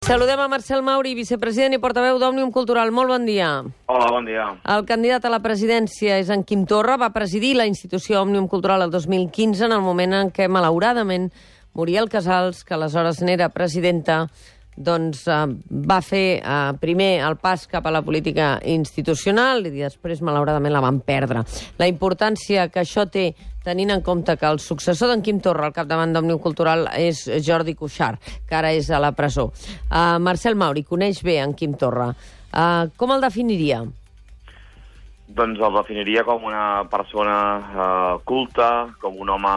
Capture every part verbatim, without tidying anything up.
Saludem a Marcel Mauri, vicepresident i portaveu d'Òmnium Cultural. Molt bon dia. Hola, bon dia. El candidat a la presidència és en Quim Torra. Va presidir la institució Òmnium Cultural el dos mil quinze, en el moment en què, malauradament, Muriel Casals, que aleshores n'era presidenta, doncs eh, va fer eh, primer el pas cap a la política institucional i després, malauradament, la van perdre. La importància que això té, tenint en compte que el successor d'en Quim Torra al capdavant d'Òmnium Cultural és Jordi Cuixart, que ara és a la presó. Uh, Marcel Mauri coneix bé en Quim Torra. Uh, com el definiria? Doncs el definiria com una persona eh, culta, com un home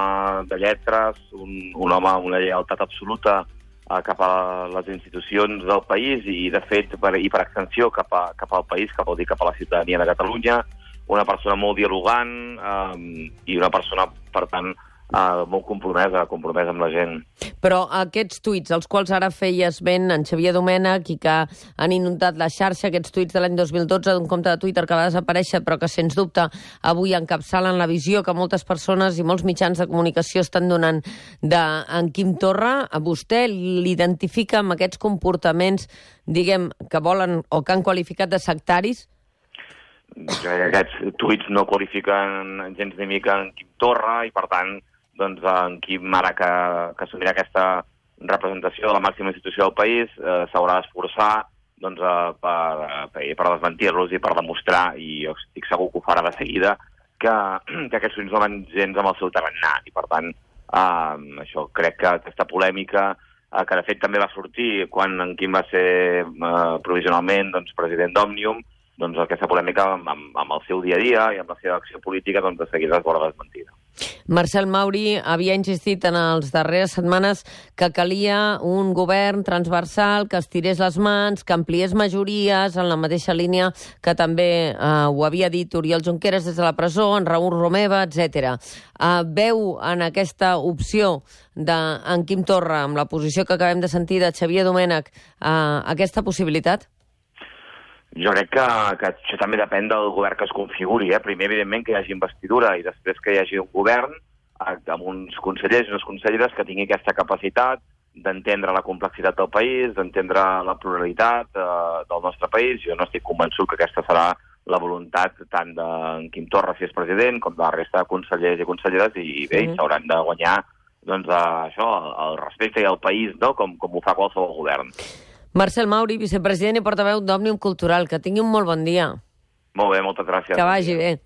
de lletres, un, un home amb una lleialtat absoluta eh, cap a les institucions del país i, de fet, per, i per extensió cap, a, cap al país, cap, vol dir, cap a la ciutadania de Catalunya, una persona molt dialogant eh, i una persona, per tant, eh, molt compromesa, compromesa amb la gent. Però aquests tuits, els quals ara feies ben en Xavier Domènech i que han inundat la xarxa, aquests tuits de l'any dos mil dotze d'un compte de Twitter que va desaparèixer però que, sens dubte, avui encapçalen la visió que moltes persones i molts mitjans de comunicació estan donant d'en Quim Torra, a vostè l'identifica amb aquests comportaments, diguem, que volen o que han qualificat de sectaris? Aquests tuits no qualifiquen gens ni mica en Quim Torra i, per tant, doncs en Quim, ara que, que assumirà aquesta representació de la màxima institució del país, eh, s'haurà d'esforçar doncs, eh, per, per, per desmentir-los i per demostrar, i jo estic segur que ho farà de seguida, que, que aquests tuits no van gens amb el seu tarannà. I, per tant, eh, això crec que aquesta polèmica, eh, que de fet també va sortir quan en Quim va ser eh, provisionalment doncs, president d'Òmnium, doncs aquesta polèmica amb, amb, amb el seu dia a dia i amb la seva acció política doncs, de seguida es veurà desmentida. Marcel Mauri havia insistit en les darreres setmanes que calia un govern transversal que estirés les mans, que ampliés majories en la mateixa línia que també eh, ho havia dit Oriol Junqueras des de la presó, en Raül Romeva, etcètera. Eh, veu en aquesta opció d'en Quim Torra, amb la posició que acabem de sentir de Xavier Domènech, eh, aquesta possibilitat? Jo crec que, que això també depèn del govern que es configuri. Eh? Primer, evidentment, que hi hagi investidura i després que hi hagi un govern eh, amb uns consellers i unes conselleres que tingui aquesta capacitat d'entendre la complexitat del país, d'entendre la pluralitat eh, del nostre país. Jo no estic convençut que aquesta serà la voluntat tant d'en Quim Torra, si és president, com de la resta de consellers i conselleres, i bé, sí. S'hauran de guanyar doncs, això, el respecte i el país, no? com, com ho fa qualsevol govern. Marcel Mauri, vicepresident i portaveu d'Òmnium Cultural. Que tingui un molt bon dia. Molt bé, moltes gràcies. Que vagi bé.